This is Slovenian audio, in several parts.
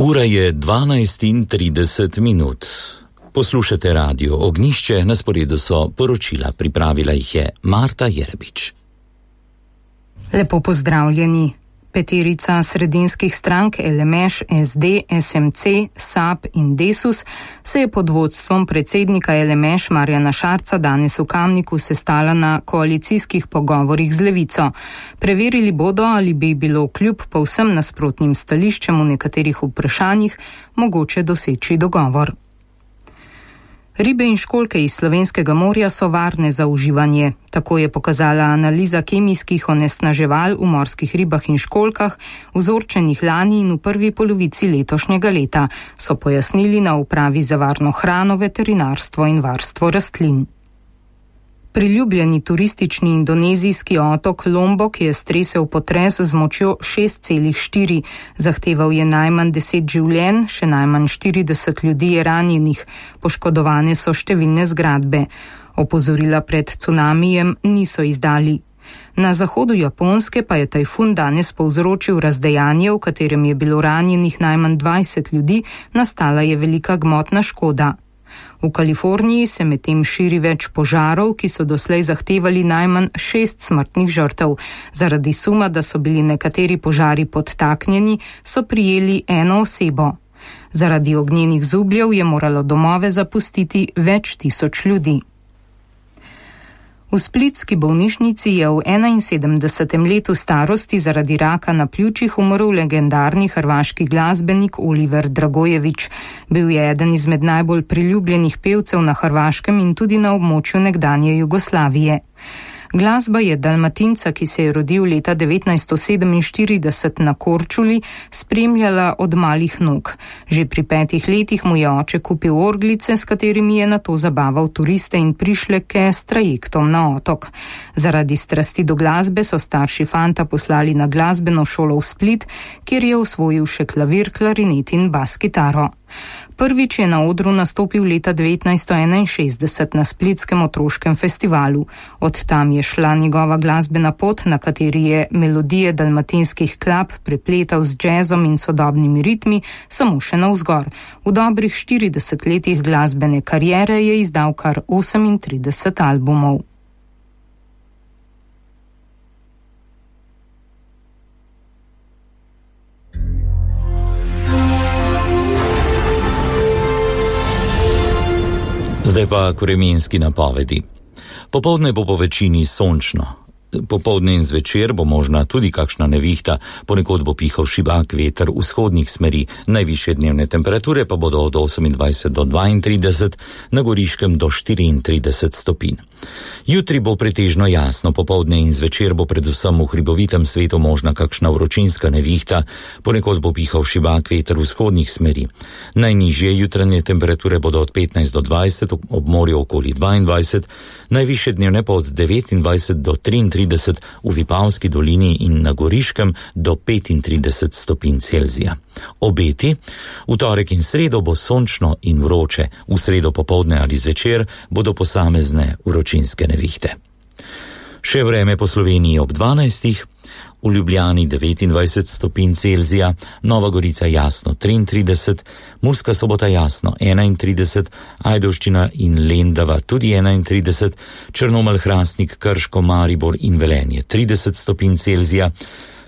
Ura je 12:30. Poslušate Radio Ognjišče, na sporedu so poročila, pripravila jih je Marta Jerebič. Lepo pozdravljeni. Peterica sredinskih strank LMŠ, SD, SMC, SAB in Desus se je pod vodstvom predsednika LMŠ Marjana Šarca danes v Kamniku sestala na koalicijskih pogovorih z Levico. Preverili bodo, ali bi bilo kljub povsem nasprotnim stališčem v nekaterih vprašanjih mogoče doseči dogovor. Ribe in školjke iz slovenskega morja so varne za uživanje. Tako je pokazala analiza kemijskih onesnaževal v morskih ribah in školjkah, vzorčenih lani in v prvi polovici letošnjega leta, so pojasnili na Upravi za varno hrano, veterinarstvo in varstvo rastlin. Priljubljeni turistični indonezijski otok Lombok je stresel potres z močjo 6,4. Zahteval je najmanj 10 življenj, še najmanj 40 ljudi je ranjenih, poškodovane so številne zgradbe. Opozorila pred cunamijem niso izdali. Na zahodu Japonske pa je tajfun danes povzročil razdejanje, v katerem je bilo ranjenih najmanj 20 ljudi, nastala je velika gmotna škoda. V Kaliforniji se medtem širi več požarov, ki so doslej zahtevali najmanj 6 smrtnih žrtev. Zaradi suma, da so bili nekateri požari podtaknjeni, so prijeli eno osebo. Zaradi ognjenih zubljev je moralo domove zapustiti več tisoč ljudi. V splitski bolnišnici je v 71. letu starosti zaradi raka na pljučih umrl legendarni hrvaški glasbenik Oliver Dragojević. Bil je eden izmed najbolj priljubljenih pevcev na Hrvaškem in tudi na območju nekdanje Jugoslavije. Glasba je Dalmatinca, ki se je rodil leta 1947 na Korčuli, spremljala od malih nog. Že pri 5 letih mu je oče kupil orglice, s katerimi je nato zabaval turiste in prišleke s trajektom na otok. Zaradi strasti do glasbe so starši fanta poslali na glasbeno šolo v Split, kjer je osvojil še klavir, klarinet in bas kitaro. Prvič je na odru nastopil leta 1961 na Splitskem otroškem festivalu. Od tam je šla njegova glasbena pot, na kateri je melodije dalmatinskih klap prepletal z džezom in sodobnimi ritmi, samo še navzgor. V dobrih 40 letih glasbene kariere je izdal kar 38 albumov. Zdaj pa k vremenski napovedi. Popoldne bo po večini sončno. Popoldne in zvečer bo možna tudi kakšna nevihta, ponekod bo pihal šibak veter vzhodnih smeri, najvišje dnevne temperature pa bodo od 28 do 32, na Goriškem do 34 stopinj. Jutri bo pretežno jasno, popoldne in zvečer bo predvsem v hribovitem svetu možna kakšna vročinska nevihta, ponekod bo pihal šibak veter vzhodnih smeri. Najnižje jutranje temperature bodo od 15 do 20, ob morju okoli 22, najvišje dnevne pa od 29 do 33, v Vipavski dolini in na Goriškem do 35 stopinj Celzija. Obeti: v torek in sredo bo sončno in vroče, v sredo popoldne ali zvečer bodo posamezne vročinske nevihte. Še vreme po Sloveniji ob 12. V Ljubljani 29 stopinj Celzija, Nova Gorica jasno 33, Murska Sobota jasno 31, Ajdovščina in Lendava tudi 31, Črnomelj, Hrastnik, Krško, Maribor in Velenje 30 stopinj Celzija,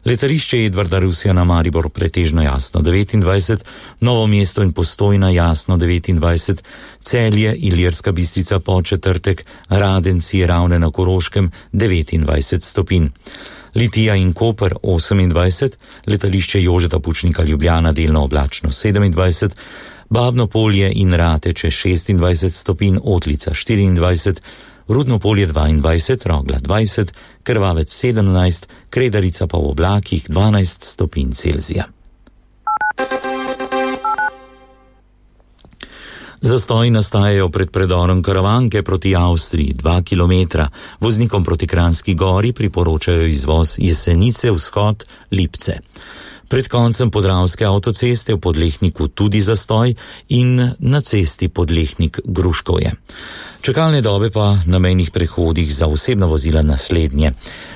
Letališče Edvarda Rusjana Maribor pretežno jasno 29, Novo mesto in Postojna jasno 29, Celje, Ilirska Bistrica Podčetrtek, Radenci, Ravne na Koroškem 29 stopinj. Litija in Koper 28, letališče Jožeta Pučnika Ljubljana delno oblačno 27, Babno Polje in Rateče 26 stopinj, Otlica 24, Rudno Polje 22, Rogla 20, Krvavec 17, Kredarica pa v oblakih 12 stopinj Celzija. Zastoji nastajajo pred predorom Karavanke proti Avstriji 2 km. Voznikom proti Kranjski Gori priporočajo izvoz Jesenice, Vzhod, Lipce. Pred koncem Podravske avtoceste v Podlehniku tudi zastoj in na cesti Podlehnik-Gruškovje. Čakalne dobe pa na mejnih prehodih za osebna vozila naslednje.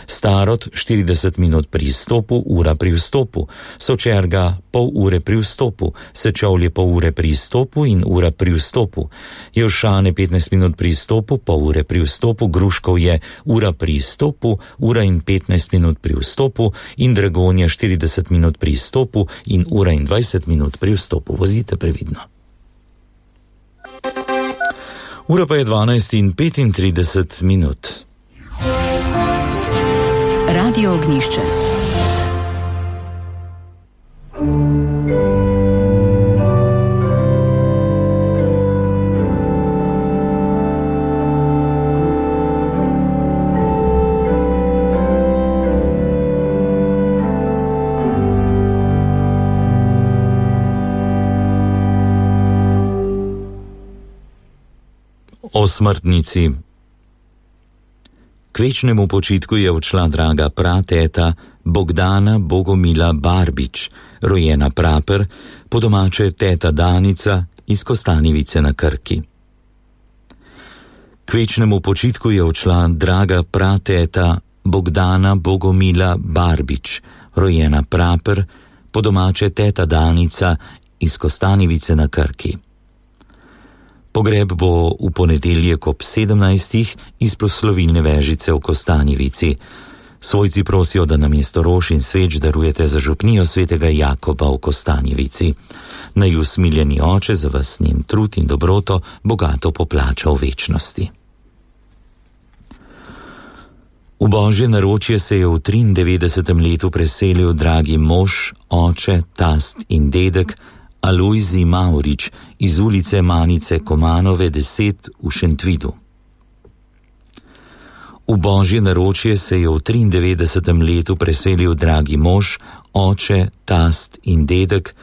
Starod 40 minut pri izstopu, ura pri vstopu, Sočerga pol ure pri vstopu, Sečovlje pol ure pri izstopu in ura pri vstopu, Jelšane 15 minut pri izstopu, pol ure pri vstopu, Gruškovje ura pri izstopu, ura in 15 minut pri vstopu in Dragonja 40 minut pri izstopu in ura in 20 minut pri vstopu. Vozite previdno. Ura pa je 12:35 minut. Radio Ognjišče. O smrtnici. K večnemu počitku je odšla draga prateta Bogdana Bogomila Barbič, rojena Praper, po domače teta Danica iz Kostanjevice na Krki. K večnemu počitku je odšla draga prateta Bogdana Bogomila Barbič, rojena Praper, po domače teta Danica iz Kostanjevice na Krki. Pogreb bo v ponedeljek ob 17. iz proslovilne vežice v Kostanjevici. Svojci prosijo, da namesto rož in sveč darujete za župnijo svetega Jakoba v Kostanjevici. Naj usmiljeni oče za vas njen trud in dobroto bogato poplača v večnosti. V Božje naročje se je v 93. letu preselil dragi mož, oče, tast in dedek Alojzij Maurič iz ulice Manice Komanove 10 v Šentvidu. V Božje naročje se je v 93. letu preselil dragi mož, oče, tast in dedek